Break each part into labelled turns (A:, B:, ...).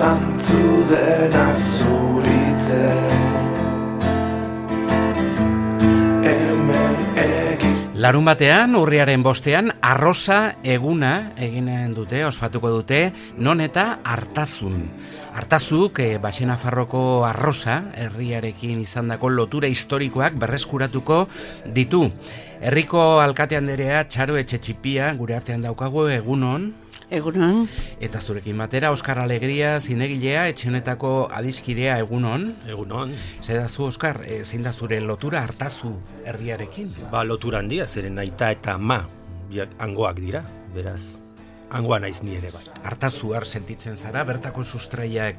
A: zantzu denak zuritzen.
B: Larun batean, urriaren 5ean, arrosa eguna eginen dute, ospatuko dute, non eta Artazun. Artazuk, Baxenafarroko arrosa, herriarekin izandako lotura historikoak berreskuratuko ditu. Herriko alkate anderea Txaro Etxetxipia gure artean daukagu, egunon.
C: Egunon.
B: Eta zurekin batera, Oskar Alegria, zinegilea, etxe honetako adiskidea, egunon.
D: Egunon.
B: Zedazu, Oskar, zein da zure lotura Artazu herriarekin?
D: Lotura handia, zeren aita eta ama hangoak dira, beraz, hangoa naiz ni ere bai.
B: Artazuar sentitzen zara, bertako sustraiak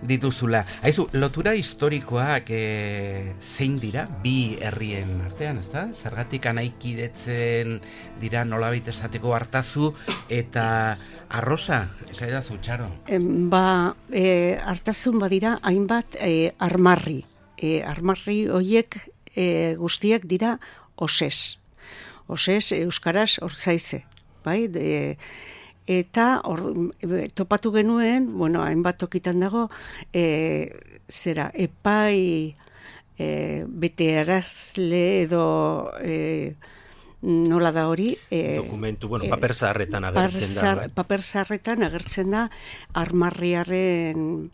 B: dituzula. Haizu, lotura historikoak zein dira, bi herrien artean, ezta? Zergatik anaikidetzen dira nolabait esateko Artazu eta arrosa, zaidazu, Txaro?
C: Artazun badira hainbat armarri. Armarri horiek guztiak dira osez. Osez, euskaraz, ortzaize. Bai, eta topatu genuen, hainbat tokitan dago, epai betearazle edo nola da hori?
D: Dokumentu, paper zaharretan agertzen da.
C: Paper zaharretan agertzen da armarriaren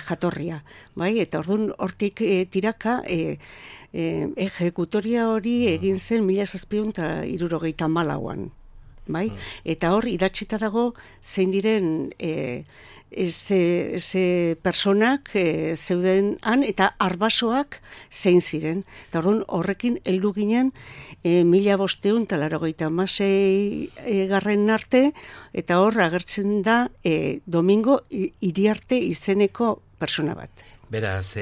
C: jatorria. Bai, eta orduan hortik tiraka ejekutoria hori egin zen 1774an. Bai? Eta hor idatzita dago zein diren ze personak zeuden han eta arbasoak zein ziren. Eta orduan horrekin heldu ginen 1586 garren arte eta hor agertzen da Domingo Iriarte izeneko persona bat.
B: Beraz,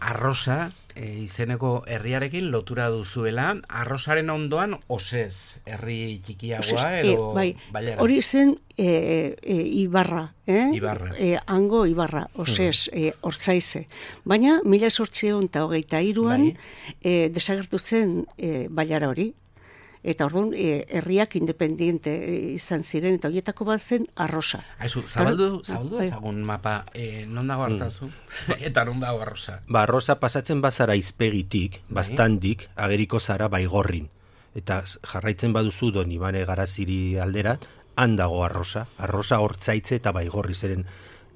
B: arrosa izeneko herriarekin lotura duzuela, arrosaren ondoan osez, herri txikiagoa edo bailara?
C: Hori zen Ibarra,
B: Ibarra.
C: Hango Ibarra, osez, ortzaize. Baina, 1823an desagertu zen bailara hori. Eta orduan, herriak independiente izan ziren, eta horietako bat zen arrosa.
B: Haizu, zabaldu ezagun mapa, non dago Artazu, eta non dago arrosa?
D: Arrosa pasatzen bazara izpegitik, bastandik, ageriko zara Baigorrin. Eta jarraitzen baduzu Donibane Garaziri aldera, han dago arrosa hortzaitze eta Baigorri zeren.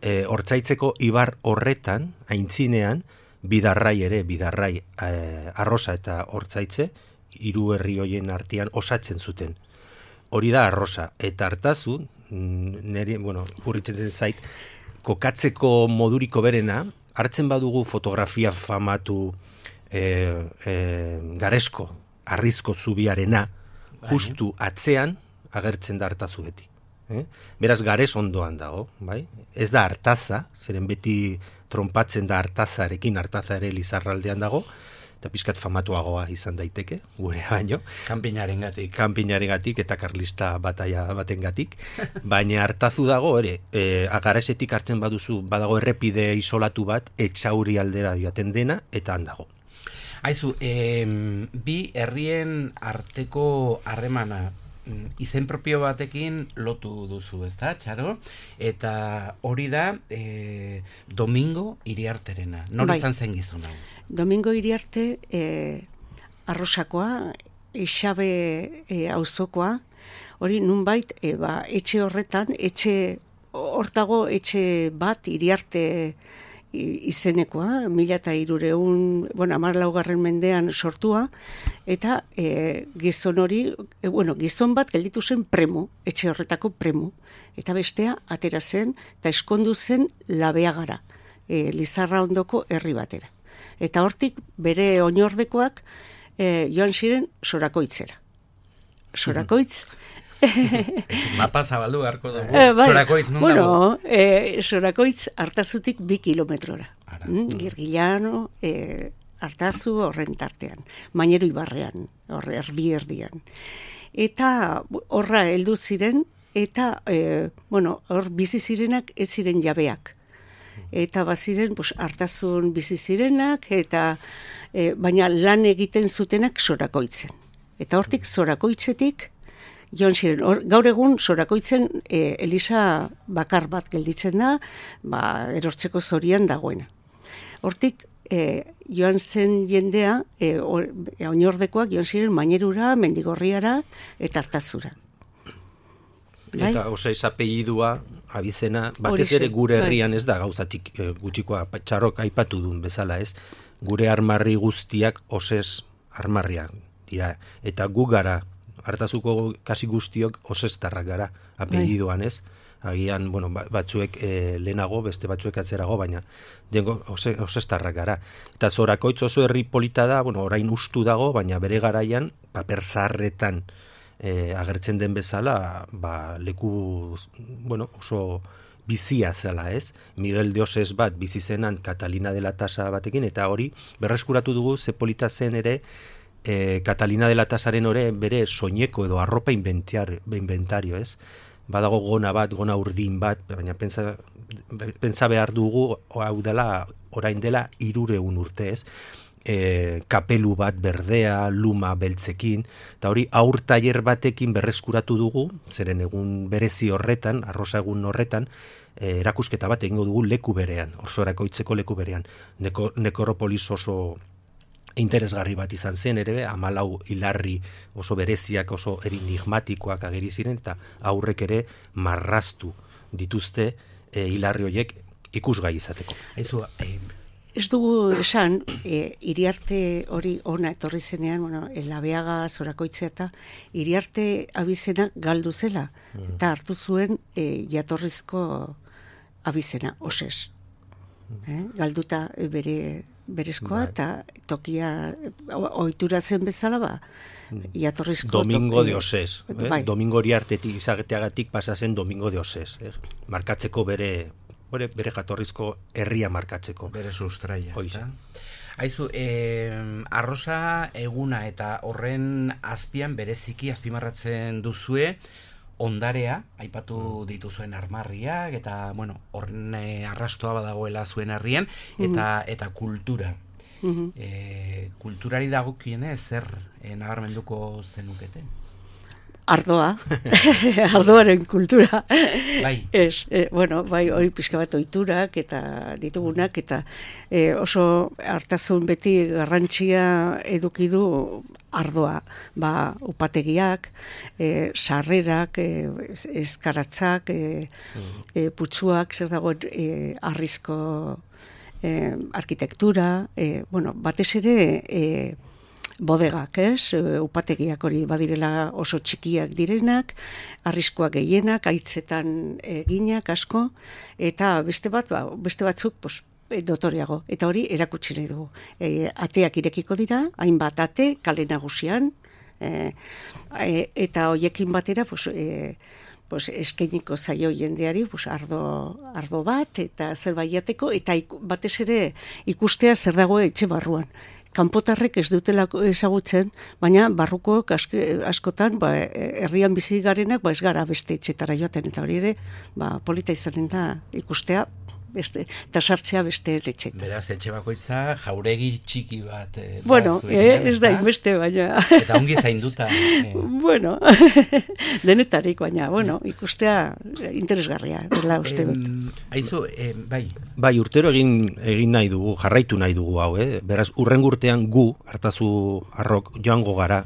D: Hortzaitzeko ibar horretan, aintzinean, bidarrai, arrosa eta hortzaitze, hiru herri hoien artean osatzen zuten. Hori da arrosa. Eta Artazu, urritzen zait, kokatzeko moduriko berena, hartzen badugu fotografia famatu Garesko, Arrizko zubiarena, justu atzean agertzen da Artazu beti. Beraz, Gares ondoan dago, bai? Ez da Artaza, zeren beti trompatzen da Artazarekin, Artaza ere Lizarraldean dago, eta pizkat famatuagoa izan daiteke, gure baino. Kanpinarengatik eta karlista bataia batengatik. Baina Artazu dago, Garesetik hartzen baduzu, badago errepide isolatu bat, Etxauri aldera joaten dena, eta han dago.
B: Haizu, bi herrien arteko harremana, izen propio batekin lotu duzu, ezta, Txaro? Eta hori da Domingo Iriarterena. Nor izan zen gizon hau?
C: Domingo Iriarte arrosakoa, Ixabe auzokoa, hori nunbait etxe horretan, hortago etxe bat Iriarte izenekoa, 1300, 14. mendean sortua, eta gizon hori, gizon bat gelditu zen premu, etxe horretako premu, eta bestea atera zen, eta eskondu zen Labeagara, Lizarra ondoko herri batera. Eta hortik bere oinordekoak joan ziren Sorakoitzera. Sorakoitz.
B: Mapa zabaldu beharko dugu. Sorakoitz non dago?
C: Sorakoitz Artazutik 2 kilometrora. Girgillano, Artazu horren tartean. Mainero Ibarrean, erdian. Eta horra heldu ziren, eta hor bizi zirenak ez ziren jabeak. Eta baziren Artazun bizi zirenak, eta baina lan egiten zutenak Sorakoitzen. Eta hortik Sorakoitzetik joan ziren. Gaur egun Sorakoitzen eliza bakar bat gelditzen da, erortzeko zorian dagoena. Hortik, joan zen jendea, oinordekoak joan ziren Mainerura, Mendigorriara eta Artazura.
D: Eta Oseiz apellidua, abizena, batez ere gure herrian ez da gauzatik gutxikoa txarrok aipatu duen bezala ez, gure armarri guztiak Oseiz armarriak dira, eta gu gara, Artazuko kasi guztiok Oseiztarrak gara, apellidoan ez, agian, batzuek lehenago, beste batzuek atzerago, baina Oseiztarrak gara. Eta Zorakoitz oso herri polita da, orain ustu dago, baina bere garaian, paper zaharretan agertzen den bezala, leku, oso bizia zela ez. Miguel de Osez bat bizi zenan Catalina de la Tasa batekin, eta hori berreskuratu dugu ze polita zen ere Catalina de la Tasaren bere soineko edo arropa inventario ez. Badago gona urdin bat, baina pentsa behar dugu hau dela, orain dela 300 urte ez. Kapelu bat berdea, luma beltzekin, eta hori aur tailer batekin berreskuratu dugu, zeren egun berezi horretan, arrosa egun horretan, erakusketa bat egingo dugu leku berean, Sorakoitzeko leku berean. Nekropolis oso interesgarri bat izan zen, ere 14 hilarri oso bereziak, oso enigmatikoak ageri ziren, eta aurrek ere marraztu dituzte hilarri horiek ikusgai izateko.
C: Ez dugu esan, Iriarte hori ona etorri zenean, Labeaga, Zorakoitzea eta Iriarte abizena galdu zela, eta hartu zuen jatorrizko abizena, Osez. Galduta berezkoa, eta tokia ohituratzen bezala, jatorrizko
D: Domingo de Osez. Domingo Iriartetik izageteagatik pasa zen Domingo de Osez. Markatzeko bere jatorrizko herria markatzeko.
B: Bere sustraia, ezta? Aizu, arrosa eguna eta horren azpian bereziki azpimarratzen duzue ondarea, aipatu dituzuen armarriak, eta, horren arrastoa badagoela zuen herrian, eta kultura. Kulturari dagokienez zer nabarmenduko zenukete?
C: Ardoa, ardoaren kultura.
B: Bai.
C: Hori pixka bat ohiturak eta ditugunak, eta oso Artazun beti garrantzia eduki du ardoa. Upategiak, sarrerak, eskaratzak, putzuak, zer dagoen arrizko arkitektura, batez ere bodegak, upategiak hori badirela oso txikiak direnak, arriskoak gehienak, haitzetan eginak asko, eta beste batzuk dotoriago, eta hori erakutsi nahi dugu. Ateak irekiko dira, hainbat ate, kale nagusian, eta hoiekin batera, eskainiko zaio jendeari ardo bat, eta zerbait jateko, eta batez ere ikustea zer dago etxe barruan. Kanpotarrek ez dutelako ezagutzen, baina barrukoak askotan herrian bizi garenak ez gara beste etxetara joaten, eta hori ere polita izanen da ikustea eta sartzea beste etxetan.
B: Beraz, etxe bakoitza jauregi txiki bat.
C: Ez da inbeste, baina...
B: Eta ongi zainduta.
C: Denetarik, baina, ikustea interesgarria, dela uste dut.
B: Aizu, bai.
D: Bai, urtero egin nahi dugu, jarraitu nahi dugu hau, beraz, urrengo urtean gu, Artazu arrok, joango gara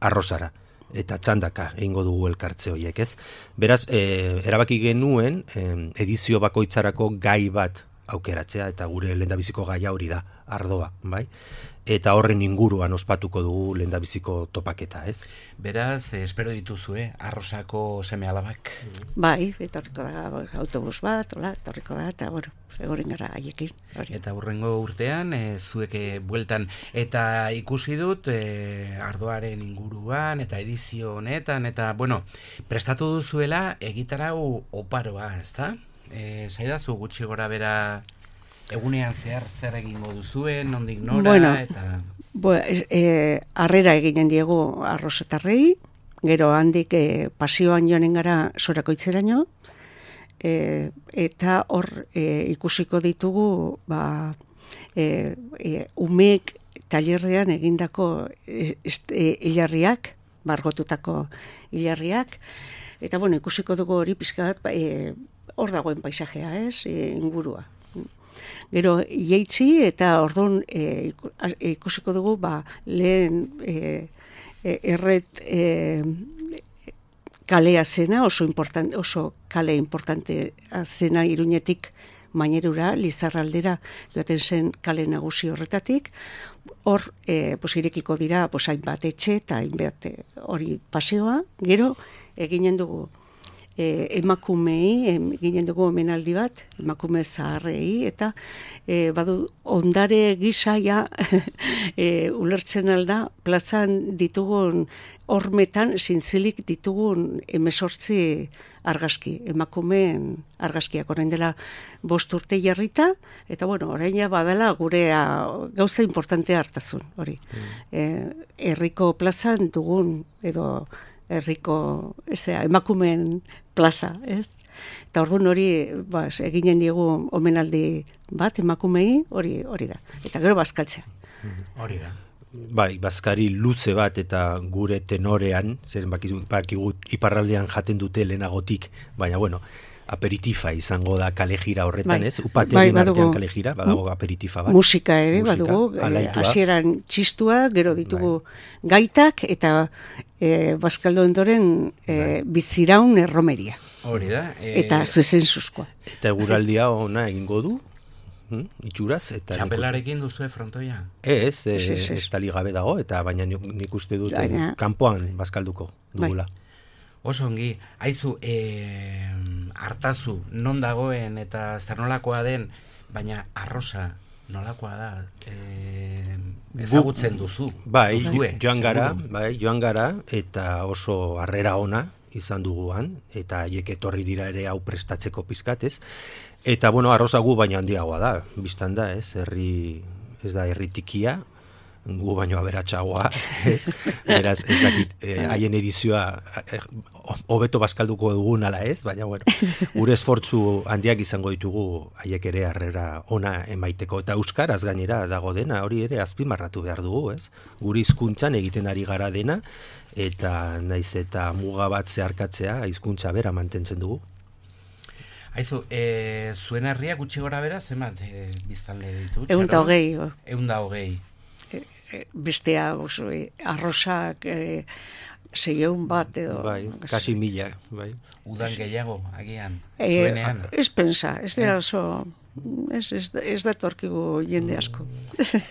D: arrozara. Eta txandaka egingo dugu elkartze horiek, ez? Beraz, erabaki genuen edizio bakoitzarako gai bat aukeratzea, eta gure lehendabiziko gaia hori da, ardoa, bai? Eta horren inguruan ospatuko dugu lehendabiziko topaketa, ez?
B: Beraz, espero dituzue, arrosako seme alabak.
C: Bai, etorriko da autobus bat, etorriko da, eta egoren gara haiekin.
B: Eta hurrengo urtean, zuek bueltan, eta ikusi dut ardoaren inguruan, eta edizio honetan, eta, prestatu duzuela egitarau oparoa, ezta? Zaidazu gutxi gora bera egunean zer egingo duzuen, nondik nora, eta...
C: Harrera eginen diegu arrosetarrei, gero handik pasioan joanen gara Sorakoitzeraino, eta hor ikusiko ditugu umeek tailerrean egindako hilarriak, margotutako hilarriak, eta bueno, ikusiko dugu hori pixka bat, hor dagoen paisajea, ez, ingurua. Gero, jeitzi eta orduan ikusiko dugu, lehen erret kalea zena, oso kale importante zena Iruñetik Mainerura, Lizarraldera joaten zen kale nagusi horretatik, hor irekiko dira hainbat etxe eta hainbat hori paseoa, gero eginen dugu emakumei, eginen dugu omenaldi bat, emakume zaharrei, eta badu ondare gisaia ulertzen alda, plazan ditugun hormetan zintzilik ditugun 18 argazki, emakumeen argazkiak orain dela 5 urte jarrita, eta bueno, orain badala gurea gauza importantea hartazun, hori. Herriko plazan dugun, edo herriko emakumeen plaza, ez? Eta orduan hori eginen diegu omenaldi bat emakumei, hori da. Eta gero bazkaltzea.
B: Hori da.
D: Bai, bazkari luze bat eta gure tenorean, zeren bakigu iparraldean jaten dute lehenagotik, baina bueno, aperitifa izango da kalejira horretan, ez? Upategien artean kalejira, badago aperitifa bat.
C: Musika ere, badugu, hasieran txistua, gero ditugu gaitak, eta bazkaldo ondoren biziraun erromeria.
B: Hori da.
C: Eta zuzen zuzkoa.
D: Eta eguraldia ona egingo du, itxuraz.
B: Txapelarekin duzue frontoia?
D: Ez tali gabe dago, eta baina nik uste dut kanpoan bazkalduko dugula.
B: Oso ongi, haizu, Artazu non dagoen eta zer nolakoa den, baina arrosa nolakoa da, ezagutzen duzu.
D: Bai, joan gara, eta oso harrera ona izan duguan, eta haiek etorri dira ere hau prestatzeko pizkatez. Eta, bueno, arroza gu baina handiagoa da, biztan da, ez da herri tikia, gu baino aberatsagoa, ez? Beraz, ez dakit, haien edizioa hobeto bazkalduko dugun ala ez, baina, bueno, gure esfortzu handiak izango ditugu haiek ere harrera ona emaiteko. Eta euskaraz gainera dago dena, hori ere azpimarratu behar dugu, ez? Gure hizkuntzan egiten ari gara dena, eta naiz eta muga bat zeharkatzea, hizkuntza bera mantentzen dugu.
B: Aizu, zuen herria gutxi gora bera, zenbat biztanle ditu?
C: 120.
B: 120.
C: Bestea arrosak 600 bat edo.
D: Bai, kasi 1000, bai.
B: Udan gehiago, agian, zuenean.
C: Ez pensa, ez da oso, ez da torkigu jende asko.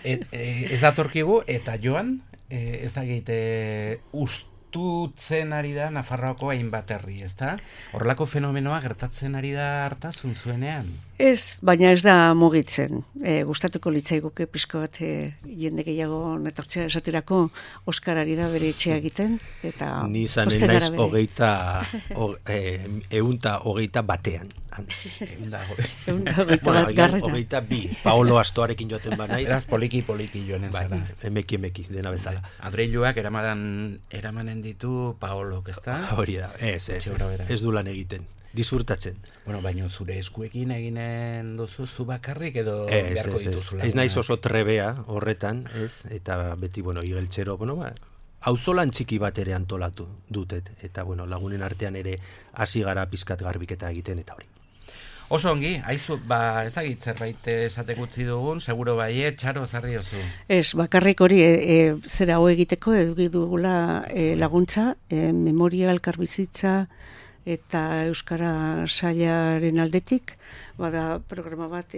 B: Ez da torkigu, eta joan, ez da gehite ustutzen ari da Nafarroako hainbat herri, ez da? Horrelako fenomenoa gertatzen ari da Artazun zuenean?
C: Ez, baina ez da mugitzen. Gustatuko litzaiguke pixko bat jende gehiago netortzea esaterako Oskarari da bere etxea egiten. Eta
D: ni izanen naiz 120 batean. 122. Paolo Astoarekin joaten ba naiz.
B: Eraz poliki joanen zara.
D: Emeki, dena bezala.
B: Adreiluak eramanen ditu Paolok, ez da?
D: Hori da, ez du lan egiten. Disfrutatzen.
B: Bueno, baina zure eskuekin eginen duzu zu bakarrik edo beharko dituzula.
D: Ez naiz oso trebea horretan, ez? Eta beti, bueno, igeltxero, auzolan txiki bat ere antolatu dutet. Eta, bueno, lagunen artean ere hasi gara pizkat garbiketa egiten eta hori.
B: Oso ongi, haizu, ez da zerbait esatek utzi dugun, seguro baiet, Txaro, zarri oso.
C: Ez, bakarrik hori, zera ho egiteko eduki dugula laguntza, memoria elkarbizitza, eta Euskara Sailaren aldetik, bada programa bat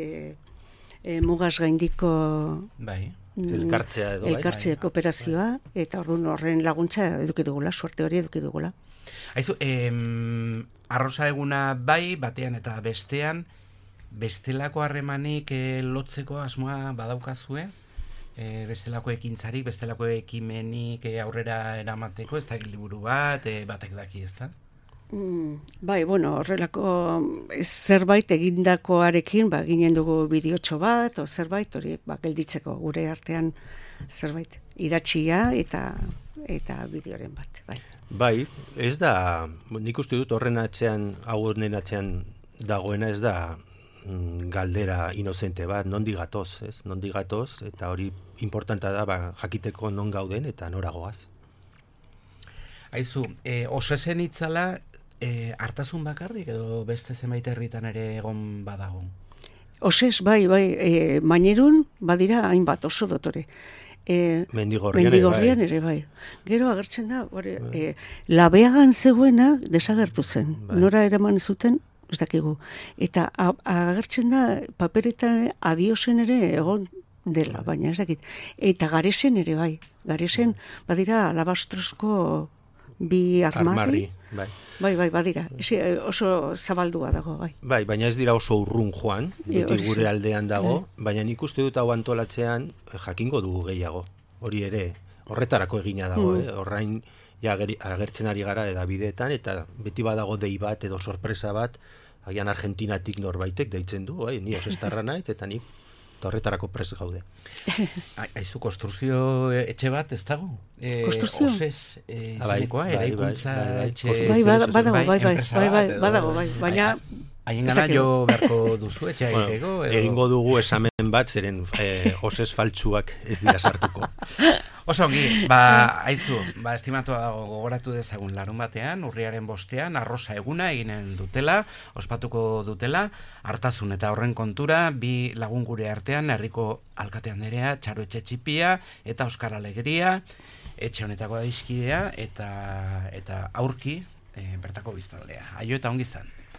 C: mugaz gaindiko elkartzea kooperazioa, eta horren laguntza eduki dugula, suerte hori eduki dugula.
B: Haizu, arrosa eguna bai, batean eta bestean, bestelako harremanik lotzeko asmoa badaukazue? Bestelako ekintzarik, bestelako ekimenik aurrera eramateko, ez da liburu bat, batek daki, ez da?
C: Bai, bueno, horrelako zerbait egindakoarekin, ginen dugu bideotxo bat, o zerbait, hori, gelditzeko gure artean zerbait, idatxia eta bideoren bat, bai.
D: Bai, ez da, nik uste dut horren atzean, honen atzean dagoena ez da galdera inozente bat, nondi gatoz, ez? Nondi gatoz, eta hori importanta da, jakiteko non gauden eta noragoaz.
B: Aizu, osesen itzala hartazun bakarrik edo beste zenbait herritan ere egon badago?
C: Osez, bai, mainerun badira hainbat oso dotore. Mendigorrian ere bai. Gero agertzen da, labeagan zegoena desagertu zen. Nora eraman zuten, ez dakigu. Eta agertzen da paperetan adiosen ere egon dela, baina ez dakit. Eta garesen ere bai. Garesen badira alabastrosko bi armarri. Bai, badira. Oso zabaldua dago, bai.
D: Bai, baina ez dira oso urrun joan, beti gure aldean dago, baina nik uste dut hau antolatzean jakingo dugu gehiago. Hori ere, horretarako egina dago, horrain agertzen ari gara edabideetan, eta beti badago dei bat edo sorpresa bat, agian Argentinatik norbaitek deitzen du, ni osestarra naiz, eta nik horretarako prest gaude.
B: Aizu, konstruzio etxe bat ez dago?
C: Konstruzio?
B: Osez izanekoa, eraikuntza etxe...
C: Badago, baina...
B: Haien gana jo beharko duzu etxea egiteko?
D: Egingo dugu esamen bat, zeren osez faltsuak ez dira sartuko.
B: Oso ongi, aizu, estimatua gogoratu dezagun larun batean, urriaren 5ean, arrosa eguna eginen dutela, ospatuko dutela, hartazun eta horren kontura, bi lagun gure artean, herriko alkatean nerea, Txaro Etxetxipia eta Oskar Alegria, etxe honetako daizkidea eta aurki bertako biztanlea. Aio eta ongi izan.